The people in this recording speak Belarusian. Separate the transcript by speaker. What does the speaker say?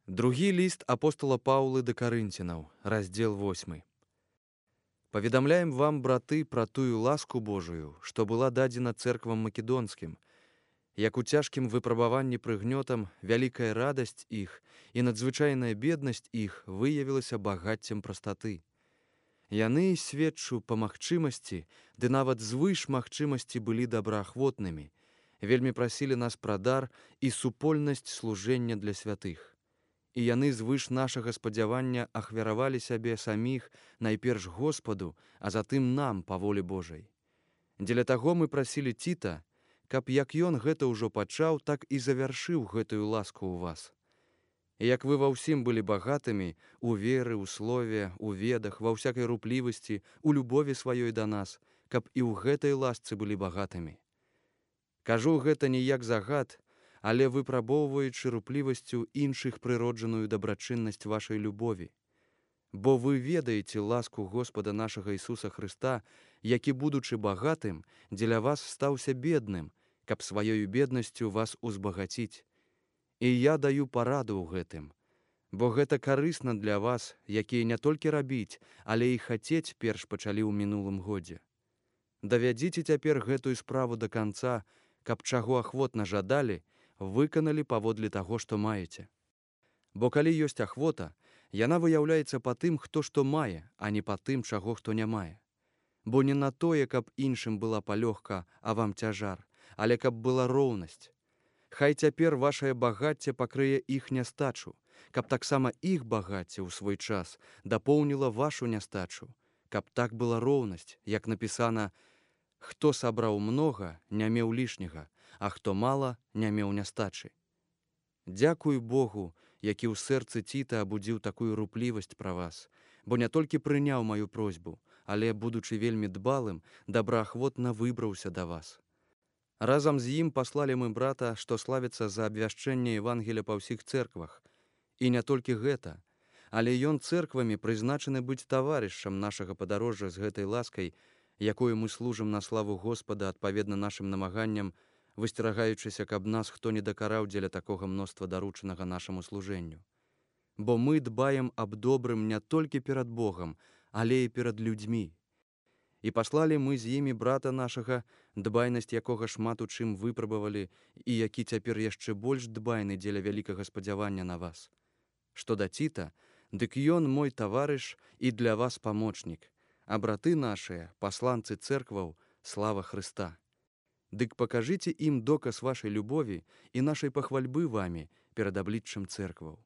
Speaker 1: Другі ліст апостола Паўлы да Карынцінаў, раздзел 8. Паведамляем вам, браты, пра тую ласку Божую, што была дадзена цэрквам македонскім, як у цяжкім выпрабаванні прыгнётам вялікая радасць іх і надзвычайная беднасць іх выявілася багаццем прастаты. Яны, сведчу, па магчымасці, ды нават звыш магчымасці былі добраахвотнымі, вельмі прасілі нас пра дар і супольнасць служэння для святых. І яны звыш нашага спадзявання ахвяравалі сябе саміх найперш Господу, а затым нам па волі Божай. Дзеля таго мы прасілі Тіта, каб як ён гэта ўжо пачаў, так і завяршыў гэтую ласку ў вас. І як вы ва ўсім былі багатымі, у веры, у слове, у ведах, ва ўсякай руплівасці, у любові сваёй да нас, каб і ў гэтай ласцы былі багатымі. Кажу гэта не як загад, але выпрабоўваючы руплівасцю іншых прыроджаную дабрачыннасць вашай любові. Бо вы ведаеце ласку Господа нашага Ісуса Хрыста, які, будучы багатым, дзеля вас стаўся бедным, каб сваёю беднасцю вас узбагаціць. І я даю параду ў гэтым, бо гэта карысна для вас, якія не толькі рабіць, але і хацець перш пачалі ў мінулым годзе. Давядзіце цяпер гэтую справу да канца, каб чаго ахвотна жадалі, выканалі паводле таго, што маеце. Бо калі ёсць ахвота, яна выяўляецца па тым, хто што мае, а не па тым, чаго хто не мае. Бо не на тое, каб іншым была палёгка, а вам цяжар, але каб была роўнасць. Хай цяпер вашае багацце пакрые іх нястачу, каб таксама іх багацце ў свой час дапоўніла вашу нястачу, каб так была роўнасць, як напісана: «Хто сабраў многа, не меў лішняга, а хто мала, не меў нястачы». Дзякуй Богу, які ў сэрцы Тіта абудзіў такую руплівасць пра вас, бо не толькі прыняў маю просьбу, але, будучы вельмі дбалым, добраахвотна выбраўся да вас. Разам з ім паслалі мы брата, што славіцца за абвяшчэнне Евангеля па ўсіх цэрквах. І не толькі гэта, але ён цэрквамі прызначаны быць таварышам нашага падарожжа з гэтай ласкай, якую мы служым на славу Господа адпаведна нашым намаганням, высцерагаючыся, каб нас хто не дакараў дзеля такога мноства даручанага нашаму служэнню. Бо мы дбаем аб добрым не толькі перад Богам, але і перад людзьмі. І паслалі мы з імі брата нашага, дбайнасць якога шмат у чым выпрабавалі, і які цяпер яшчэ больш дбайны дзеля вялікага спадзявання на вас. Што да Тіта, дык ён мой таварыш і для вас памочнік, а браты нашыя, пасланцы цэркваў, слава Хрыста. Дык пакажыце ім доказ вашай любові і нашай пахвальбы вамі перад абліччам цэркваў.